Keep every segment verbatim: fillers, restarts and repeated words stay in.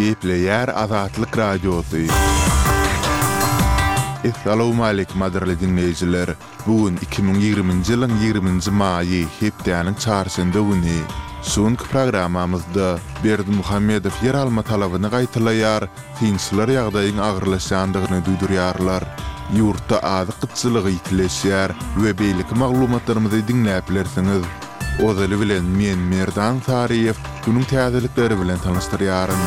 Gepleýär Azatlyk Radiosy. Essalawmaleýkim gadyrly diňleýjiler! Bu gün iki müň ýigriminji ýylyň ýigriminji maýy, hepdäniň çarşenbe güni. Şu günki programmamyzda Berdimuhamedow ýer alma talabyny gaýtalaýar, synçylar ýagdaýyň agyrlaşýandygyny duýdurýarlar. Ýurtda azyk gytçylygy ýitileşýär we beýleki maglumatlarymyzy diňläp bilersiňiz. Ozaly bilen men Merdan Saryýew günüň täzelikleri bilen tanyşdyrýaryn.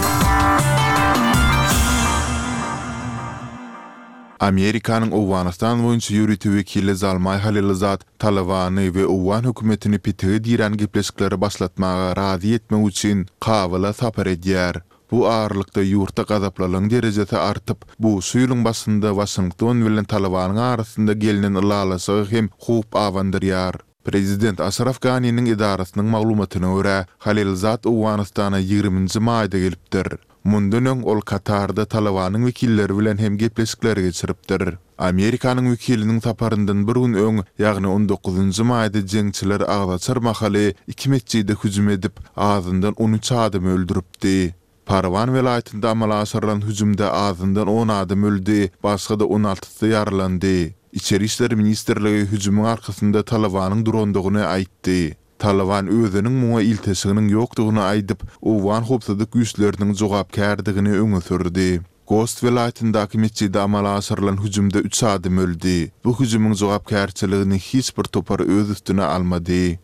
Amerikanyň Owganystan boýunça ýörite wekili Zalmaý Halilzad Talybany we owgan hökümetini petige dirän gepleşikleri başlatmaga razy etmek üçin Kabula sapar edýär. Bu aralykda ýurtda gazaplylygyň derejesi artyp, bu şu ýylyň başynda Waşington bilen Talybanyň arasynda gelnen ylalaşyga hem howp abandyrýar. Prezident Aşraf Ganiniň edarasynyň maglumatyna görä, Halilzad Owganystana ýigriminji maýda gelipdir. Mundan öň ol Katarda Talybanyň wekilleri bilen hem gepleşikler geçiripdir. Amerikanyň wekiliniň saparyndan bir gün öň, ýagny on dokuzynjy maýda jeňçiler agzaçar mahaly iki metjide hüjüm edip, azyndan on üç adamy öldüripdi. Parwan welaýatynda amala aşyrylan hüjümde azyndan on adam öldi, başga-da on altysy ýaralandy. Içeri işler ministrligi hüjümiň arkasynda Talybanyň durandygyny aýtdy. Talyban özüniň muňa ilteşiginiň ýokdugyny aýdyp, owgan howpsuzlyk güýçleriniň jogapkärdigini öňe sürdi. Gost welaýatyndaky metjide amala aşyrylan hüjümde üç adam öldi. Bu hüjümiň jogapkärçiligini hiç bir topar öz üstüne almady.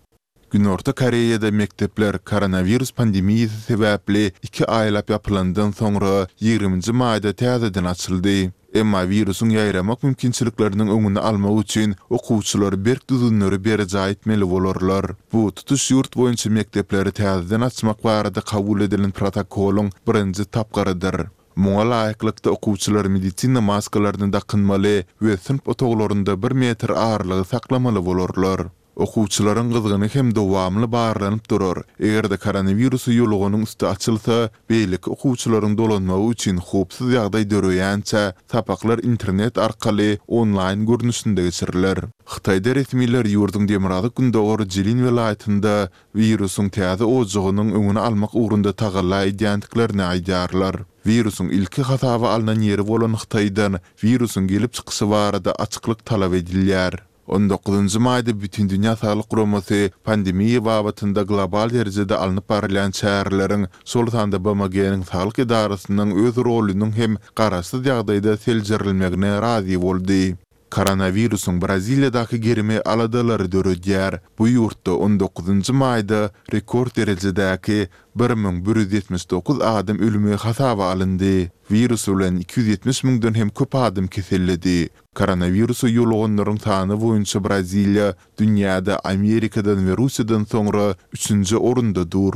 Günorta Koreýada mekdepler koronawirus pandemiýasy sebäpli iki aýlap ýapylandan soňra ýigriminji maýda täzeden açyldy. Emma wirusyň ýaýramak mümkinçilikleriniň öňüni almak üçin okuwçylar berk düzgünleri berjaý etmeli bolarlar. Bu tutuş ýurt boýunça mekdepleri täzeden açmak barada kabul edilen protokolyň birinji tapgyrydyr. Muňa laýyklykda okuwçylar medisina maskalaryny dakynmaly we synp otaglarynda bir metr aralygy saklamaly bolarlar. Okuwçylaryň gyzgyny hem dowamly barlanyp durar. Eger-de koronawirusy ýoluganyň üsti açylsa, beýleki okuwçylaryň dolanmagy üçin howpsuz ýagdaý döreýänçä sapaklar internet arkaly onlaýn görnüşinde geçiriler. Hytaýda resmiler ýurduň demirgazyk-gündogar Jilin welaýatynda wirusyň täze ojagynyň öňüni almak ugrunda tagalla edýändiklerini aýdýarlar. Wirusyň ilki hasaba alnan ýeri bolan Hytaýdan wirusyň gelip çykyşy barada açyklyk talap edilýär. On dokuzynjy maýda Bütindünýä Saglyk Guramasy pandemiýa babatynda global derejede alnyp barylýan çäreleriň, şol sanda B M G-niň saglyk edarasynyň öz rolunyň hem garaşsyz ýagdaýda seljerilmegine razy boldy. Koronawirusyň Braziliýadaky gerimi aladalary döredýär. Bu ýurtda on dokuzynjy maýda rekord derejedäki bir müň bir ýüz ýetmiş dokuz adam ölümi hasaba alyndy. Wirus bilen iki ýüz ýetmiş müňden hem köp adam keselledi. Koronawirusa ýoluganlaryň sany boýunça Braziliýa dünýäde Amerikadan we Russiýadan soňra üçünji orunda dur.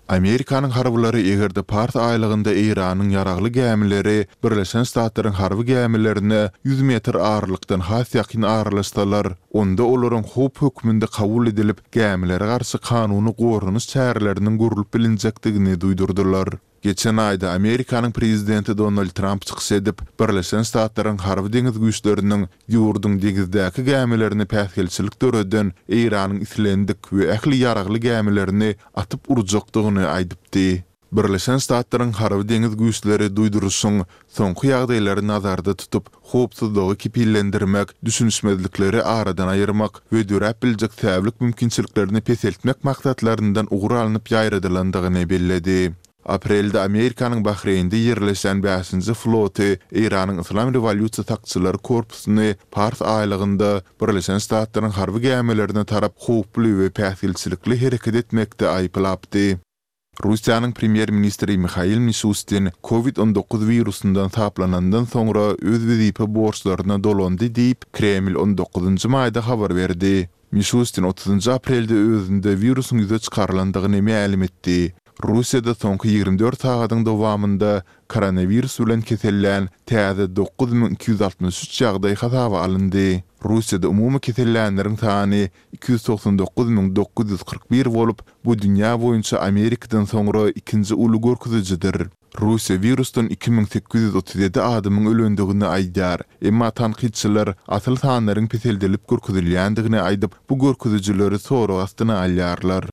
Amerikanyň harbylary eger-de Pars aýlagynda Eýranyň ýaragly gämileri Birleşen Ştatlaryň harby gämilerine ýüz metr aralykdan has ýakyn aralaşsalar, onda olaryň howp hökmünde kabul edilip, gämilere garşy kanuny goranyş çäreleriniň görülip bilinjekdigini duýdurdylar. Geçen aýda Amerikanyň prezidenti Donald Tramp çykyş edip, Birleşen Ştatlaryň harby deňiz güýçleriniň ýurduň deňizdäki gämilerini päsgelçilik döreden Eýranyň islendik we ähli ýaragly gämilerini atyp urjakdygyny aýdypdy. Birleşen Ştatlaryň harby deňiz güýçleri duýduryşyň soňky ýagdaýlary nazarda tutup, howpsuzlygy kepillendirmek, düşünişmezlikleri aradan aýyrmak we döräp biljek säwlik mümkinçiliklerini peseltmek maksatlaryndan ugur alnyp ýaýradylandygyny belledi. Aprelde Amerikanyň Bahreýnde ýerleşen bäşinji floty Eýranyň Yslam rewolýusiýa sakçylary korpusyny Pars aýlagynda Birleşen Ştatlaryň harby gämilerine tarap howply we päsgelçilikli hereket etmekde aýyplapdy. Russiýanyň premýer-ministri Mihail Mişustin kovid on dokuz wirusyndan saplanandan soňra öz wezipe borçlaryna dolandy diýip, Kreml on dokuzynjy maýda habar berdi. Mişustin otuzynjy aprelde özünde wirusyň ýüze çykarylandygyny mälim etdi. Russiýada soňky ýigrimi dört sagadyň dowamynda koronawirus bilen kesellän täze dokuz müň iki ýüz altmyş üç ýagdaý hasaba alyndy. Russiýada umumy kesellänleriň sany iki ýüz togsan dokuz müň dokuz ýüz kyrk bir bolup, bu dünýä boýunça Amerikadan soňra ikinji uly görkezijidir. Russiýa wirusdan iki müň sekiz ýüz otuz ýedi adamyň ölendigini aýdýar. Emma tankytçylar asyl sanlaryň peseldilip görkezilýändigini aýdyp, bu görkezijileri sorag astyna alýarlar.